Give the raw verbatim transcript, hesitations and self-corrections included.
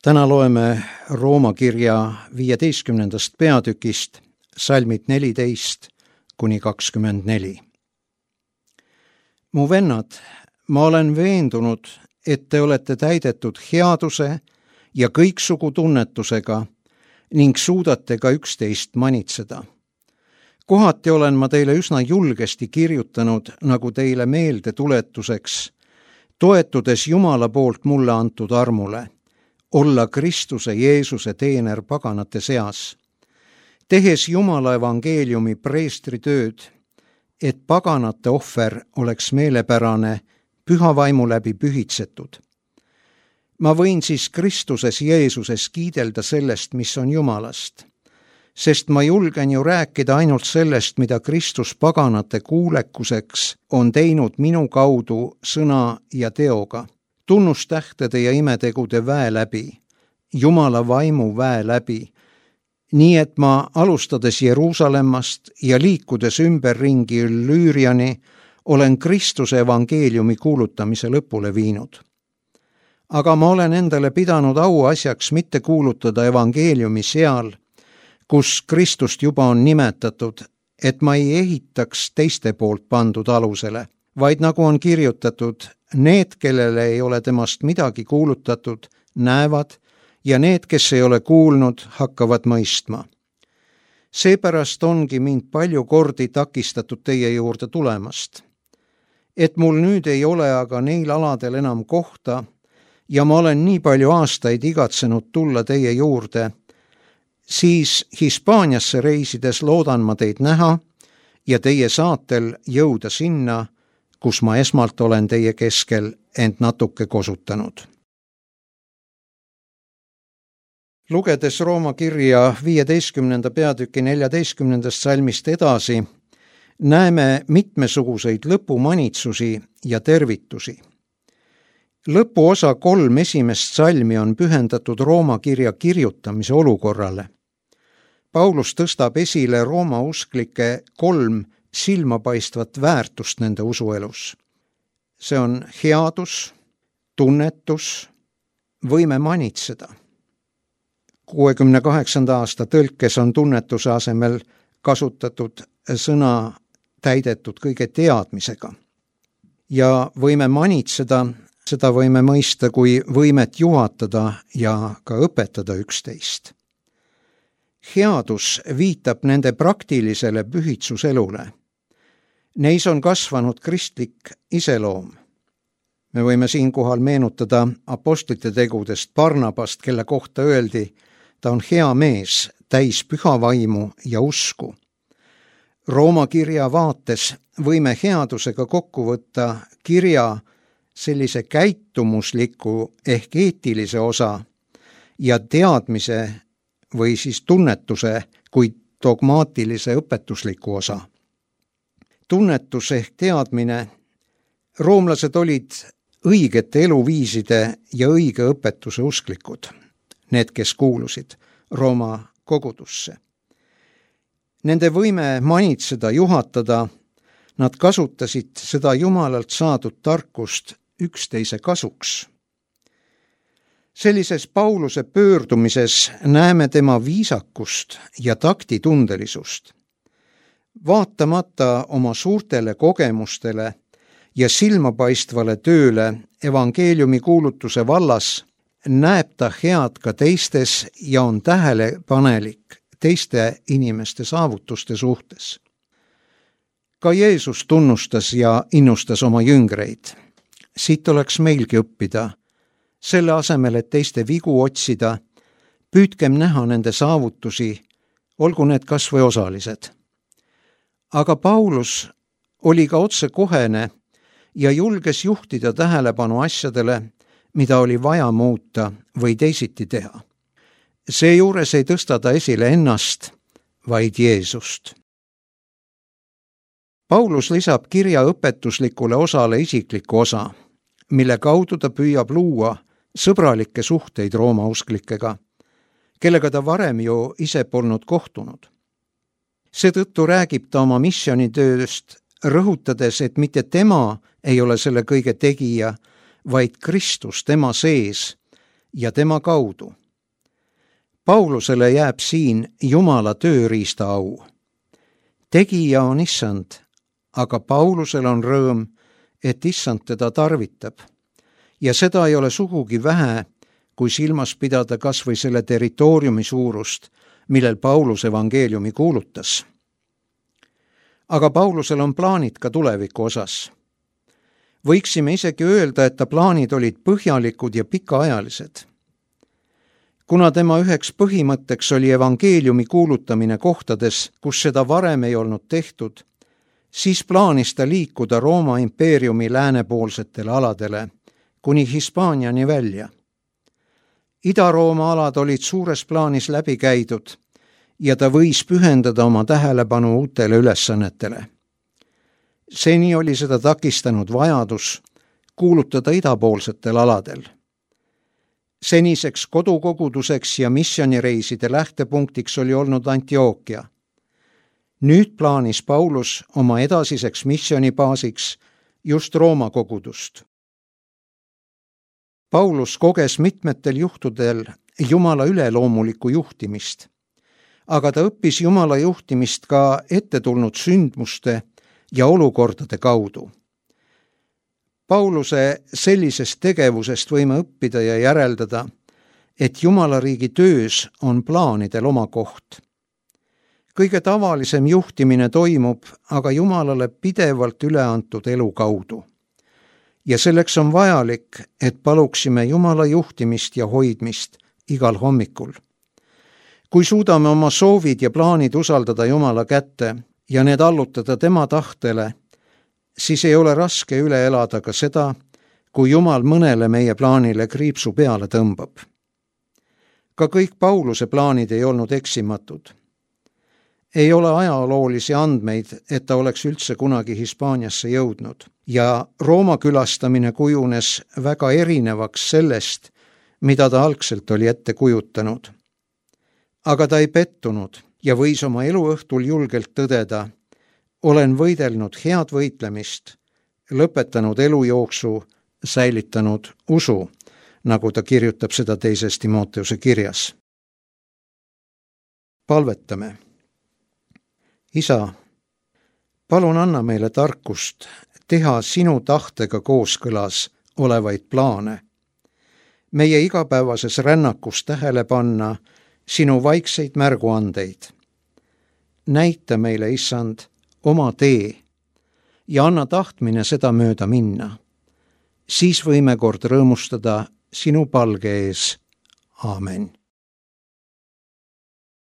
Täna loeme Rooma kirja viieteistkümnendast peatükist salmid neliteist kuni kakskümmend neli. Mu vennad, ma olen veendunud, et te olete täidetud headuse ja kõiksugu tunnetusega ning suudate ka üksteist manitseda. Kohati olen ma teile üsna julgesti kirjutanud, nagu teile meelde tuletuseks, toetudes Jumala poolt mulle antud armule, olla Kristuse Jeesuse teener paganate seas, tehes Jumala evangeeliumi preestri tööd, et paganate ohver oleks meelepärane, püha vaimu läbi pühitsetud. Ma võin siis Kristuses Jeesuses kiidelda sellest, mis on Jumalast, sest ma julgen ju rääkida ainult sellest, mida Kristus paganate kuulekuseks on teinud minu kaudu sõna ja teoga, tunnustähtede ja imetegude väe läbi, Jumala vaimu väe läbi, nii et ma alustades Jeruusalemmast ja liikudes ümberringi Lüüriani olen Kristuse evangeeliumi kuulutamise lõpule viinud. Aga ma olen endale pidanud auasjaks mitte kuulutada evangeeliumi seal, kus Kristust juba on nimetatud, et ma ei ehitaks teiste poolt pandud alusele, vaid nagu on kirjutatud, need, kellele ei ole temast midagi kuulutatud, näevad, ja need, kes ei ole kuulnud, hakkavad mõistma. Seepärast ongi mind palju kordi takistatud teie juurde tulemast. Et mul nüüd ei ole aga neil aladel enam kohta ja ma olen nii palju aastaid igatsenud tulla teie juurde, siis Hispaaniasse reisides loodan ma teid näha ja teie saatel jõuda sinna, kus ma esmalt olen teie keskel end natuke kosutanud. Lugedes Rooma kirja viieteistkümnenda peatüki neljateistkümnendast salmist edasi, näeme mitmesuguseid lõpumanitsusi ja tervitusi. Lõpuosa kolm esimest salmi on pühendatud Rooma kirja kirjutamise olukorrale. Paulus tõstab esile Rooma usklike kolm silmapaistvat väärtust nende usuelus. See on headus, tunnetus, võime manitseda. kuuekümne kaheksanda aasta tõlkes on tunnetuse asemel kasutatud sõna täidetud kõige teadmisega. Ja võime manitseda, seda võime mõista kui võimet juhatada ja ka õpetada üksteist. Headus viitab nende praktilisele pühitsuselule. Neis on kasvanud kristlik iseloom. Me võime siinkohal meenutada apostlite tegudest Barnabast, kelle kohta öeldi, ta on hea mees, täis püha vaimu ja usku. Rooma kirja vaates võime headusega kokku võtta kirja sellise käitumusliku ehk eetilise osa ja teadmise või siis tunnetuse kui dogmaatilise õpetusliku osa. Tunnetus ehk teadmine, roomlased olid õigete eluviiside ja õige õpetuse usklikud, need, kes kuulusid Rooma kogudusse. Nende võime manitseda, juhatada, nad kasutasid seda Jumalalt saadud tarkust üksteise kasuks. Sellises Pauluse pöördumises näeme tema viisakust ja taktitundelisust. Vaatamata oma suurtele kogemustele ja silmapaistvale tööle evangeeliumi kuulutuse vallas, näeb ta head ka teistes ja on tähelepanelik teiste inimeste saavutuste suhtes. Ka Jeesus tunnustas ja innustas oma jüngreid. Siit oleks meilgi õppida. Selle asemel, et teiste vigu otsida, püüdkem näha nende saavutusi, olgu need kas või osalised. Aga Paulus oli ka otsekohene ja julges juhtida tähelepanu asjadele, mida oli vaja muuta või teisiti teha. Seejuures ei tõsta ta esile ennast, vaid Jeesust. Paulus lisab kirja õpetuslikule osale isikliku osa, mille kaudu ta püüab luua sõbralikke suhteid Rooma usklikega, kellega ta varem ju ise polnud kohtunud. Seetõttu räägib ta oma missionitööst, rõhutades, et mitte tema ei ole selle kõige tegija, vaid Kristus tema sees ja tema kaudu. Paulusele jääb siin Jumala tööriista au. Tegija on issand, aga Paulusel on rõõm, et issand teda tarvitab. Ja seda ei ole sugugi vähe, kui silmas pidada kas või selle territooriumi suurust, millel Paulus evangeeliumi kuulutas. Aga Paulusel on plaanid ka tuleviku osas. Võiksime isegi öelda, et ta plaanid olid põhjalikud ja pikaajalised. Kuna tema üheks põhimõtteks oli evangeeliumi kuulutamine kohtades, kus seda varem ei olnud tehtud, siis plaanis ta liikuda Rooma impeeriumi läänepoolsetele aladele, kuni Hispaaniani välja. Ida-Rooma alad olid suures plaanis läbi käidud ja ta võis pühendada oma tähelepanu uutele ülesannetele. Seni oli seda takistanud vajadus kuulutada idapoolsetel aladel. Seniseks kodukoguduseks ja missionireiside lähtepunktiks oli olnud Antiookia. Nüüd plaanis Paulus oma edasiseks missionibaasiks just Rooma kogudust. Paulus koges mitmetel juhtudel Jumala üleloomulikku juhtimist, aga ta õppis Jumala juhtimist ka ette tulnud sündmuste ja olukordade kaudu. Pauluse sellisest tegevusest võime õppida ja järeldada, et Jumala riigi töös on plaanidel oma koht. Kõige tavalisem juhtimine toimub aga Jumalale pidevalt üle antud elu kaudu. Ja selleks on vajalik, et paluksime Jumala juhtimist ja hoidmist igal hommikul. Kui suudame oma soovid ja plaanid usaldada Jumala kätte ja need allutada tema tahtele, siis ei ole raske üle elada ka seda, kui Jumal mõnele meie plaanile kriipsu peale tõmbab. Ka kõik Pauluse plaanid ei olnud eksimatud. Ei ole ajaloolisi andmeid, et ta oleks üldse kunagi Hispaaniasse jõudnud ja Rooma külastamine kujunes väga erinevaks sellest, mida ta algselt oli ette kujutanud. Aga ta ei pettunud ja võis oma eluõhtul julgelt tõdeda: olen võidelnud head võitlemist, lõpetanud elujooksu, säilitanud usu, nagu ta kirjutab seda teises Timoteuse kirjas. Palvetame. Isa, palun anna meile tarkust teha sinu tahtega kooskõlas olevaid plaane. Meie igapäevases rännakus tähele panna sinu vaikseid märguandeid. Näita meile, issand, oma tee ja anna tahtmine seda mööda minna. Siis võime kord rõõmustada sinu palge ees. Aamen.